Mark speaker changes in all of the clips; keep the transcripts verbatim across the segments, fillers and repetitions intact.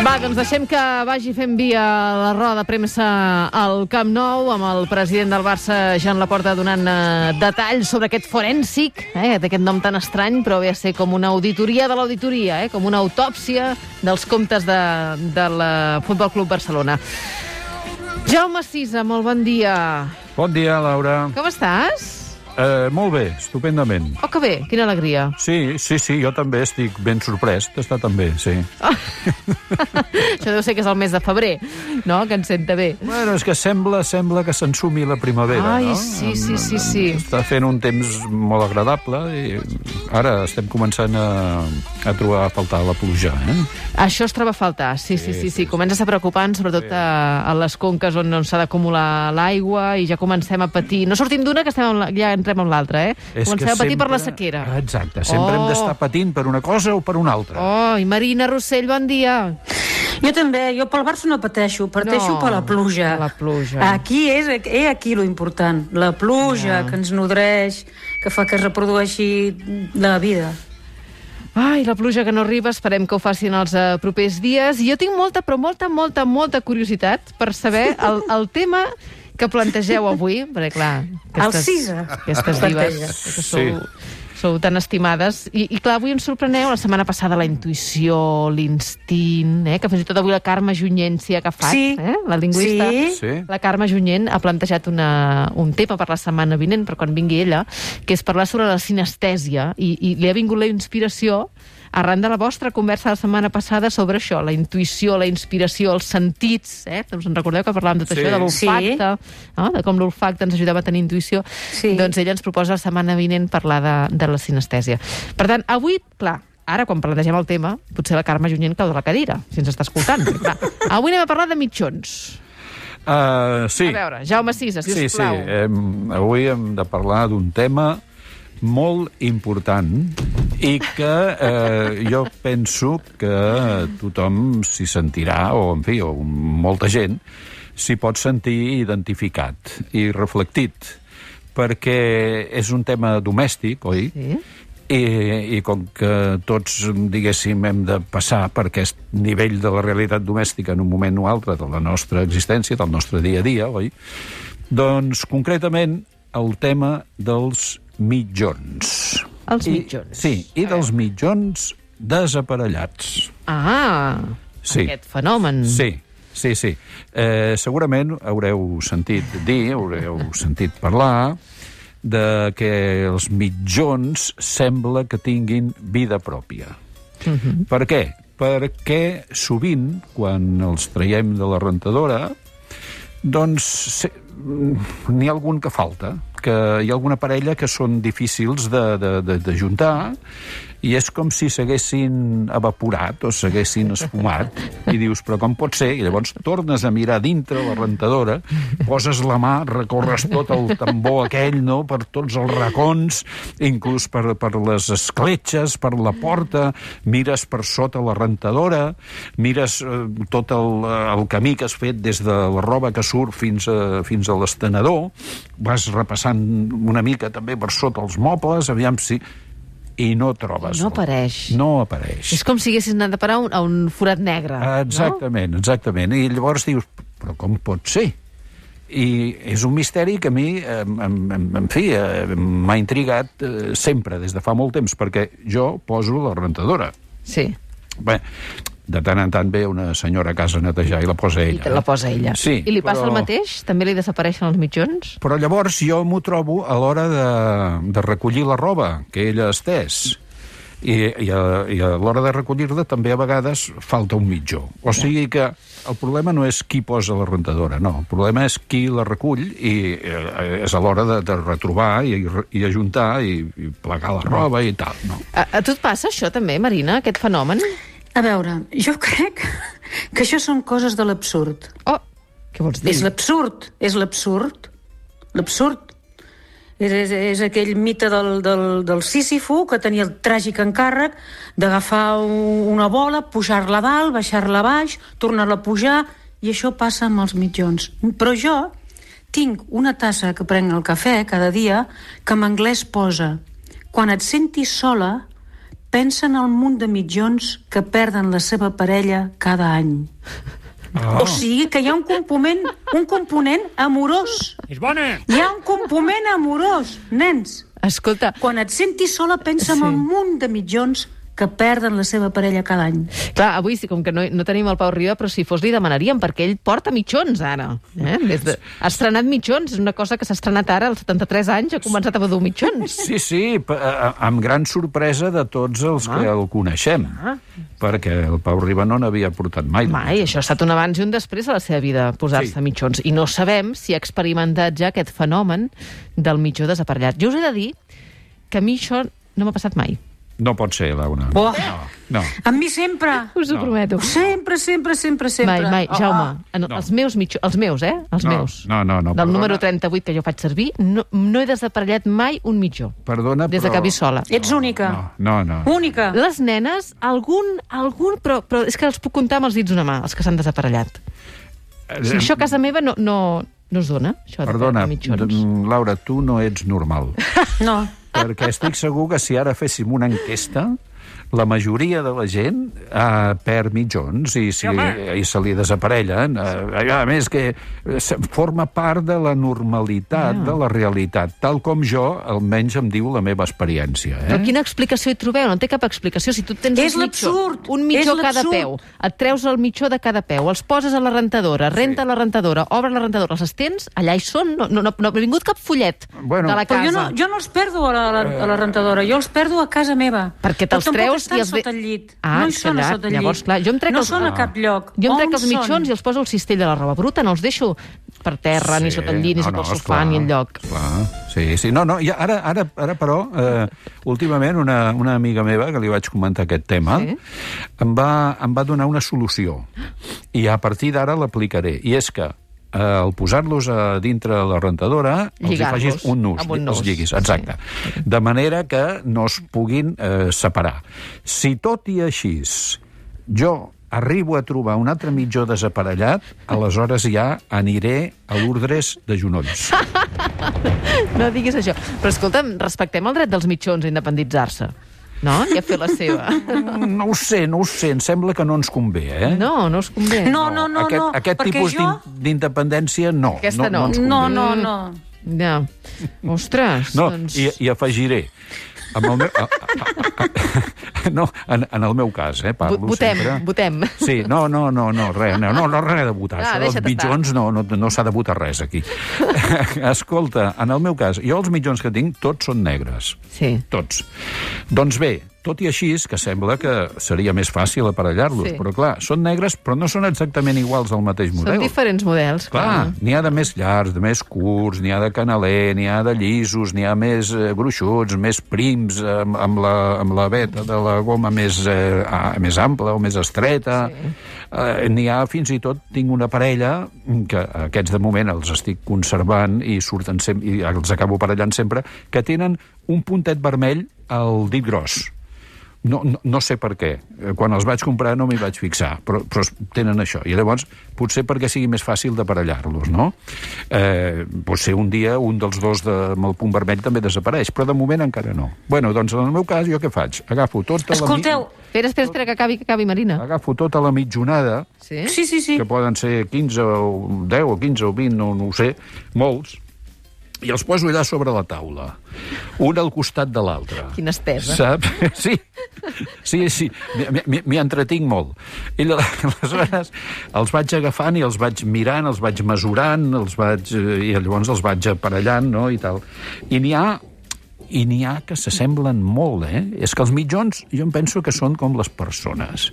Speaker 1: Va, doncs deixem que vagi fent via la roda de premsa al Camp Nou amb el president del Barça, Joan Laporta, donant eh, detalls sobre aquest forènsic, eh, d'aquest nom tan estrany, però ve a ser com una auditoria de l'auditoria, eh, com una autòpsia dels comptes de, del Futbol Club Barcelona. Jaume Sisa, molt bon dia.
Speaker 2: Bon dia, Laura.
Speaker 1: Com estàs?
Speaker 2: Eh, molt bé, estupendament.
Speaker 1: Oh, que bé, quina alegria.
Speaker 2: Sí, sí, sí, jo també estic ben sorprès d'estar tan bé, sí.
Speaker 1: Oh. Això deu ser que és el mes de febrer, no?, que ens senta bé.
Speaker 2: Bueno, és que sembla sembla que s'ensumi la primavera,
Speaker 1: Ai,
Speaker 2: no?
Speaker 1: sí, sí, sí, sí.
Speaker 2: Està fent un temps molt agradable i ara estem començant a, a trobar a faltar la pluja, eh?
Speaker 1: Això es troba a faltar, sí, sí, sí, sí. sí. Comença a ser preocupant, sobretot sí. a, a les conques on, on s'ha d'acumular l'aigua i ja comencem a patir. No sortim d'una que estem la, ja entrem amb l'altra, eh?
Speaker 2: És
Speaker 1: comencem a patir
Speaker 2: sempre...
Speaker 1: per la sequera.
Speaker 2: Exacte, sempre oh. hem d'estar patint per una cosa o per una altra.
Speaker 1: Oh, i Marina Rossell, bon dia.
Speaker 3: Jo també, jo pel Barça no pateixo, pateixo
Speaker 1: no,
Speaker 3: per la pluja.
Speaker 1: La pluja.
Speaker 3: Aquí és, és aquí lo important, la pluja ja. que ens nodreix, que fa que es reprodueixi la vida.
Speaker 1: Ai, la pluja que no arriba, esperem que ho facin els uh, propers dies. I jo tinc molta, però molta, molta, molta curiositat per saber el, el tema que plantegeu avui, perquè clar...
Speaker 3: Aquestes, el Sisa.
Speaker 1: Aquestes divas que sou, sí. sou tan estimades. I, I clar, avui ens sorpreneu, la setmana passada la intuïció, l'instint, eh, que fins i tot avui la Carme Junyent s'hi ha agafat,
Speaker 3: sí.
Speaker 1: eh, la lingüista.
Speaker 3: Sí.
Speaker 2: Sí.
Speaker 1: La Carme Junyent ha plantejat una, un tema per la setmana vinent, per quan vingui ella, que és parlar sobre la sinestèsia, i, i li ha vingut la inspiració arran de la vostra conversa la setmana passada sobre això, la intuïció, la inspiració, els sentits, eh? Us en recordeu que parlàvem de tot
Speaker 2: sí.
Speaker 1: això, de l'olfacte,
Speaker 3: sí.
Speaker 1: no? De com l'olfacte ens ajudava a tenir intuïció.
Speaker 3: Sí.
Speaker 1: Doncs ella ens proposa la setmana vinent parlar de, de la sinestèsia. Per tant, avui, clar, ara, quan plantegem el tema, potser la Carme Junyent cau de la cadira, si ens està escoltant. Clar. Avui anem a parlar de mitjons.
Speaker 2: Uh, sí.
Speaker 1: A veure, Jaume Sisa, si
Speaker 2: sí,
Speaker 1: us plau.
Speaker 2: Sí, sí. Avui hem de parlar d'un tema molt important i que eh, jo penso que tothom s'hi sentirà, o en fi, o molta gent s'hi pot sentir identificat i reflectit, perquè és un tema domèstic, oi?
Speaker 1: Sí.
Speaker 2: I, i com que tots, diguéssim, hem de passar per aquest nivell de la realitat domèstica en un moment o altre de la nostra existència, del nostre dia a dia, oi? Doncs, concretament, el tema dels mitjons.
Speaker 1: Els
Speaker 2: I,
Speaker 1: mitjons.
Speaker 2: Sí, i dels mitjons desaparellats.
Speaker 1: Ah,
Speaker 2: sí.
Speaker 1: Aquest fenomen.
Speaker 2: Sí, sí, sí. Eh, segurament haureu sentit dir, haureu sentit parlar de que els mitjons sembla que tinguin vida pròpia.
Speaker 1: Uh-huh.
Speaker 2: Per què? Perquè sovint, quan els traiem de la rentadora, doncs n'hi ha algun que falta, que hi ha alguna parella que són difícils de, de, de, de juntar, i és com si s'haguessin evaporat o s'haguessin esfumat, i dius, però com pot ser? I llavors tornes a mirar dintre la rentadora, poses la mà, recorres tot el tambor aquell, no?, per tots els racons, inclús per, per les escletxes, per la porta, mires per sota la rentadora, mires eh, tot el, el camí que has fet des de la roba que surt fins a, fins a l'estenedor, vas repassant una mica també per sota els mobles, aviam si... I no trobes.
Speaker 1: No apareix.
Speaker 2: No apareix.
Speaker 1: És com si haguessis anat a parar un, a un forat negre.
Speaker 2: Exactament, no? exactament. I llavors dius, però com pot ser? I és un misteri que a mi, eh, en, en fi, eh, m'ha intrigat eh, sempre, des de fa molt temps, perquè jo poso la rentadora.
Speaker 1: Sí.
Speaker 2: Bé, de tant en tant ve una senyora a casa a netejar i la posa ella.
Speaker 1: I la posa ella.
Speaker 2: Sí,
Speaker 1: I li passa
Speaker 2: però...
Speaker 1: el mateix? També li desapareixen els mitjons?
Speaker 2: Però llavors jo m'ho trobo a l'hora de, de recollir la roba que ella ha estès. I, i, a, i a l'hora de recollir-la també a vegades falta un mitjó. O sigui que el problema no és qui posa la rentadora, no. El problema és qui la recull i eh, és a l'hora de, de retrobar i, i ajuntar i, i plegar la roba i tal, no.
Speaker 1: A, a tu et passa això també, Marina, aquest fenomen?
Speaker 3: A veure, jo crec que això són coses de l'absurd.
Speaker 1: Oh, què vols dir?
Speaker 3: És l'absurd, és l'absurd, l'absurd. És, és, és aquell mite del, del, del Sísifo, que tenia el tràgic encàrrec d'agafar una bola, pujar-la dalt, baixar-la baix, tornar-la a pujar, i això passa amb els mitjons. Però jo tinc una tassa que prenc el cafè cada dia que en anglès posa: quan et sentis sola, pensa en el munt de mitjons que perden la seva parella cada any. Oh. O sigui que hi ha un component, un component amorós.
Speaker 4: És bona!
Speaker 3: Hi ha un component amorós, nens.
Speaker 1: Escolta...
Speaker 3: Quan et sentis sola, pensa
Speaker 1: Sí.
Speaker 3: en un munt de mitjons que perden la seva parella cada any.
Speaker 1: Clar, avui, sí, com que no, no tenim el Pau Riba, però si fos li demanaríem, perquè ell porta mitjons, ara. Eh? Des de... Ha estrenat mitjons, és una cosa que s'ha estrenat ara, als setanta-tres anys, ha començat a dur mitjons.
Speaker 2: Sí, sí, p- a- amb gran sorpresa de tots els ah. que el coneixem, ah. perquè el Pau Riba no n'havia portat mai.
Speaker 1: Mai, això ha estat un abans i un després a la seva vida, posar-se
Speaker 2: Sí.
Speaker 1: mitjons. I no sabem si ha experimentat ja aquest fenomen del mitjó desaparellat. Jo us he de dir que a mi això no m'ha passat mai.
Speaker 2: No pot ser, Laura.
Speaker 3: Oh.
Speaker 2: No, no.
Speaker 3: A mi sempre.
Speaker 1: Us ho
Speaker 2: No.
Speaker 1: prometo.
Speaker 3: Sempre, sempre, sempre, sempre.
Speaker 1: Mai, mai.
Speaker 3: Oh,
Speaker 1: Jaume, en,
Speaker 2: No.
Speaker 1: els meus mitjons, els meus, eh? Els
Speaker 2: No,
Speaker 1: meus.
Speaker 2: no, no, no,
Speaker 1: Del
Speaker 2: perdona.
Speaker 1: número trenta-vuit que jo faig servir, no, no he desaparellat mai un mitjó.
Speaker 2: Perdona,
Speaker 1: Des de
Speaker 2: però...
Speaker 1: que visc sola.
Speaker 3: Ets única.
Speaker 2: No, no, no.
Speaker 3: Única.
Speaker 1: Les nenes, algun, algun, però, però és que els puc comptar amb els dits d'una mà, els que s'han desaparellat.
Speaker 2: Eh,
Speaker 1: Això a casa meva no, no, no es dona, això de
Speaker 2: Perdona,
Speaker 1: perdre mitjons.
Speaker 2: d- Laura, tu no ets normal.
Speaker 3: No.
Speaker 2: Perquè estic segur que si ara féssim una enquesta, la majoria de la gent eh, perd mitjons i, si, i se li desaparellen. Eh, a més, que se- forma part de la normalitat,
Speaker 1: Ja.
Speaker 2: de la realitat, tal com jo, almenys em diu la meva experiència. Eh?
Speaker 1: Però quina explicació hi trobeu? No té cap explicació. Si tu tens
Speaker 3: És
Speaker 1: un mitjó,
Speaker 3: l'absurd,
Speaker 1: un mitjó
Speaker 3: és
Speaker 1: a cada
Speaker 3: l'absurd.
Speaker 1: peu, et treus el mitjó de cada peu, els poses a la rentadora, renta la rentadora, obres la rentadora, els estens, allà hi són, no, no, no, no ha vingut cap follet
Speaker 2: Bueno,
Speaker 1: de la
Speaker 3: Però
Speaker 1: casa.
Speaker 3: jo no, jo no els perdo a la, a la, a la rentadora, jo els perdo a casa meva.
Speaker 1: Perquè te'ls
Speaker 3: Però tampoc
Speaker 1: treus
Speaker 3: estan
Speaker 1: i els ve-
Speaker 3: sota el llit.
Speaker 1: Ah,
Speaker 3: no hi
Speaker 1: és que
Speaker 3: són a
Speaker 1: allà-
Speaker 3: sota el llit.
Speaker 1: llavors, clar, jo em trec
Speaker 3: no
Speaker 1: els-
Speaker 3: són a cap lloc.
Speaker 1: Jo em trec
Speaker 3: On
Speaker 1: els mitjons
Speaker 3: són?
Speaker 1: i els poso al cistell de la roba bruta, no els deixo per terra, ni sota el llit, ni sota el sofà,
Speaker 2: esclar,
Speaker 1: ni enlloc.
Speaker 2: Esclar. Sí, sí. No, no, i ara, ara, ara però, eh, últimament, una, una amiga meva, que li vaig comentar aquest tema,
Speaker 1: Sí.
Speaker 2: em, va, em va donar una solució. I a partir d'ara l'aplicaré. I és que eh, al posar-los a dintre de la rentadora, els hi
Speaker 1: Lligar-los
Speaker 2: facis un nus,
Speaker 1: amb un nus.
Speaker 2: els lliguis, exacte. Sí. De manera que no es puguin eh, separar. Si tot i així jo arribo a trobar un altre mitjó desaparellat, aleshores ja aniré a l'Urdres de Genolls.
Speaker 1: No diguis això. Però escolta'm, respectem el dret dels mitjons a independitzar-se. No? I a fer la seva.
Speaker 2: No ho sé, no ho sé, em sembla que no ens convé, eh?
Speaker 1: No, no us convé.
Speaker 3: No, no, no,
Speaker 2: aquest,
Speaker 3: no.
Speaker 2: aquest
Speaker 3: perquè
Speaker 2: tipus
Speaker 3: jo...
Speaker 2: d'in- d'independència, no.
Speaker 1: Aquesta no.
Speaker 2: No, ens convé.
Speaker 3: No, no, no.
Speaker 1: Ja. Ostres,
Speaker 2: No,
Speaker 1: doncs...
Speaker 2: i, i afegiré. Amb el meu, a, a, a, no, en, en el meu cas, eh, parlo
Speaker 1: Votem,
Speaker 2: sempre.
Speaker 1: votem.
Speaker 2: Sí, no, no, no, no, res, no, no, no res de votar.
Speaker 1: Ah,
Speaker 2: Això dels
Speaker 1: deixa't estar.
Speaker 2: mitjons no, no, no s'ha de votar res aquí. Escolta, en el meu cas, jo els mitjons que tinc tots són negres.
Speaker 1: Sí.
Speaker 2: Tots. Doncs bé, tot i així, que sembla que seria més fàcil aparellar-los,
Speaker 1: Sí.
Speaker 2: però clar, són negres, però no són exactament iguals al mateix model.
Speaker 1: Són diferents models.
Speaker 2: Clar, n'hi ha de més llargs, de més curts, n'hi ha de canaler, n'hi ha de llisos, n'hi ha més eh, gruixuts, més prims, amb, amb, la, amb la veta de la goma més, eh, ah, més ampla o més estreta. Sí. Eh, n'hi ha, fins i tot, tinc una parella, que aquests de moment els estic conservant i surten sempre, i els acabo aparellant sempre, que tenen un puntet vermell al dit gros. No, no, no sé per què. Quan els vaig comprar no m'hi vaig fixar, però, però tenen això. I llavors, potser perquè sigui més fàcil d'aparellar-los, no? Eh, potser un dia un dels dos de, amb el punt vermell també desapareix, però de moment encara no. Bueno, doncs en el meu cas, jo què faig? Agafo tota
Speaker 3: Escolteu,
Speaker 2: la...
Speaker 1: Espera, espera, espera, que acabi, que acabi, Marina.
Speaker 2: Agafo tota la mitjonada,
Speaker 1: Sí?
Speaker 3: sí, sí, sí.
Speaker 2: que poden ser quinze o deu o quinze o vint, no, no ho sé, molts, i els poso allà sobre la taula, un al costat de l'altre.
Speaker 1: Quina estesa.
Speaker 2: Saps? Sí, sí, sí. M'hi- m'hi m'hi entretinc molt. I lla- aleshores els vaig agafant i els vaig mirant, els vaig mesurant, els vaig, eh, i llavors els vaig aparellant, no?, i tal. I n'hi ha i n'hi ha que s'assemblen molt, eh? És que els mitjons, jo em penso que són com les persones.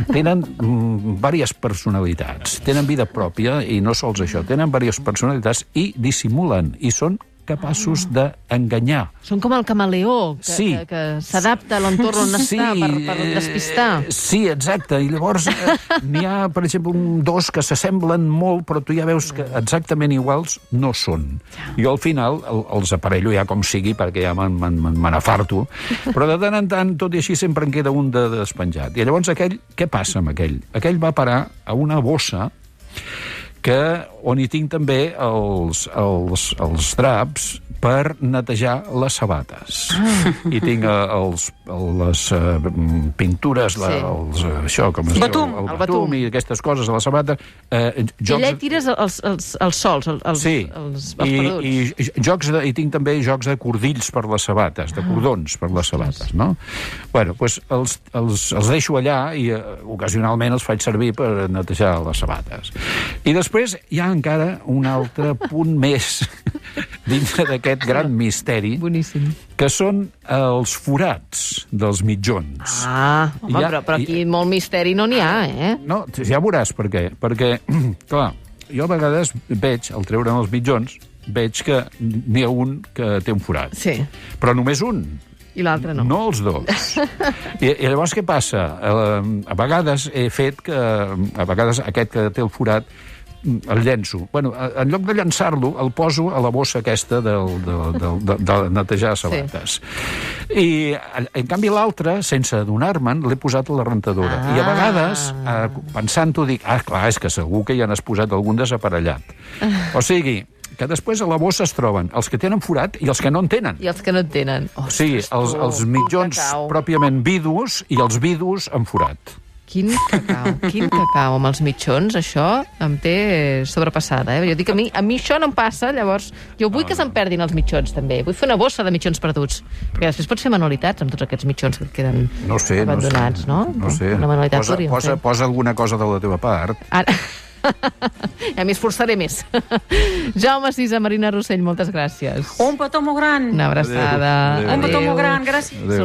Speaker 2: Tenen mm, diverses personalitats, tenen vida pròpia, i no sols això, tenen diverses personalitats i dissimulen, i són capaços d'enganyar.
Speaker 1: Són com el camaleó, que,
Speaker 2: Sí.
Speaker 1: que, que s'adapta a l'entorn on
Speaker 2: Sí,
Speaker 1: està per, per
Speaker 2: eh,
Speaker 1: despistar.
Speaker 2: Sí, exacte. I llavors eh, n'hi ha, per exemple, un, dos que s'assemblen molt, però tu ja veus que exactament iguals no són. Jo al final el, els aparello ja com sigui, perquè ja me n'afarto, però de tant en tant, tot i així, sempre en queda un de despenjat. I llavors aquell, què passa amb aquell? Aquell va parar a una bossa que, on hi tinc també els, els, els draps per netejar les sabates. Ah. I tinc eh, els, les eh, pintures, la,
Speaker 1: Sí.
Speaker 2: els, eh, això, com es
Speaker 3: Batum.
Speaker 2: diu, el,
Speaker 1: El
Speaker 2: el
Speaker 1: batum.
Speaker 2: batum i aquestes coses a la sabata. Eh,
Speaker 1: I allà hi tires els, els, els sols, els, els,
Speaker 2: Sí,
Speaker 1: els, els
Speaker 2: I,
Speaker 1: perduts.
Speaker 2: i, jocs de, i tinc també jocs de cordills per les sabates, de cordons per les sabates, no? Bueno, doncs els, els, els deixo allà i eh, ocasionalment els faig servir per netejar les sabates. I després hi ha encara un altre punt més dintre d'aquest gran misteri,
Speaker 1: Boníssim.
Speaker 2: que són els forats dels mitjons.
Speaker 1: Ah, home,
Speaker 2: Ja-
Speaker 1: però, però aquí molt misteri no n'hi ha, eh?
Speaker 2: No, ja veuràs per què. Perquè, clar, jo a vegades veig, al treure'n els mitjons, veig que n'hi ha un que té un forat.
Speaker 1: Sí,
Speaker 2: Però només un,
Speaker 1: i l'altre no.
Speaker 2: no els dos. I, I llavors què passa? A, a vegades he fet que... A vegades aquest que té el forat el llenço. Bueno, en lloc de llançar-lo, el poso a la bossa aquesta del, del, del, de, de netejar sabates. Sí. I, en canvi, l'altre, sense adonar-me'n, l'he posat a la rentadora.
Speaker 1: Ah.
Speaker 2: I a vegades, eh, pensant-ho, dic, ah, clar, és que segur que ja n'has posat algun desaparellat. O sigui, que després a la bossa es troben els que tenen forat i els que no en tenen.
Speaker 1: I els que no en tenen.
Speaker 2: O sigui, els, els mitjons
Speaker 1: cacau.
Speaker 2: pròpiament vidus i els vidus amb forat.
Speaker 1: Quin cacau, quin cacau amb els mitjons, això em té sobrepassada, eh? Jo dic, a mi, a mi això no em passa, llavors jo vull que se'n perdin els mitjons, també. Vull fer una bossa de mitjons perduts, perquè després pots fer manualitats amb tots aquests mitjons que et queden
Speaker 2: No sé,
Speaker 1: abandonats,
Speaker 2: no sé.
Speaker 1: no?
Speaker 2: No sé.
Speaker 1: Una manualitat
Speaker 2: Posa,
Speaker 1: podríem
Speaker 2: posa,
Speaker 1: fer.
Speaker 2: posa alguna cosa de la teva part.
Speaker 1: Ara... ja m'hi esforçaré més. Jaume Sisa, Marina Rossell, moltes gràcies.
Speaker 3: Un petó molt gran.
Speaker 1: Una abraçada.
Speaker 2: Adéu. Adéu.
Speaker 3: Un petó molt gran, gràcies.
Speaker 2: Adéu.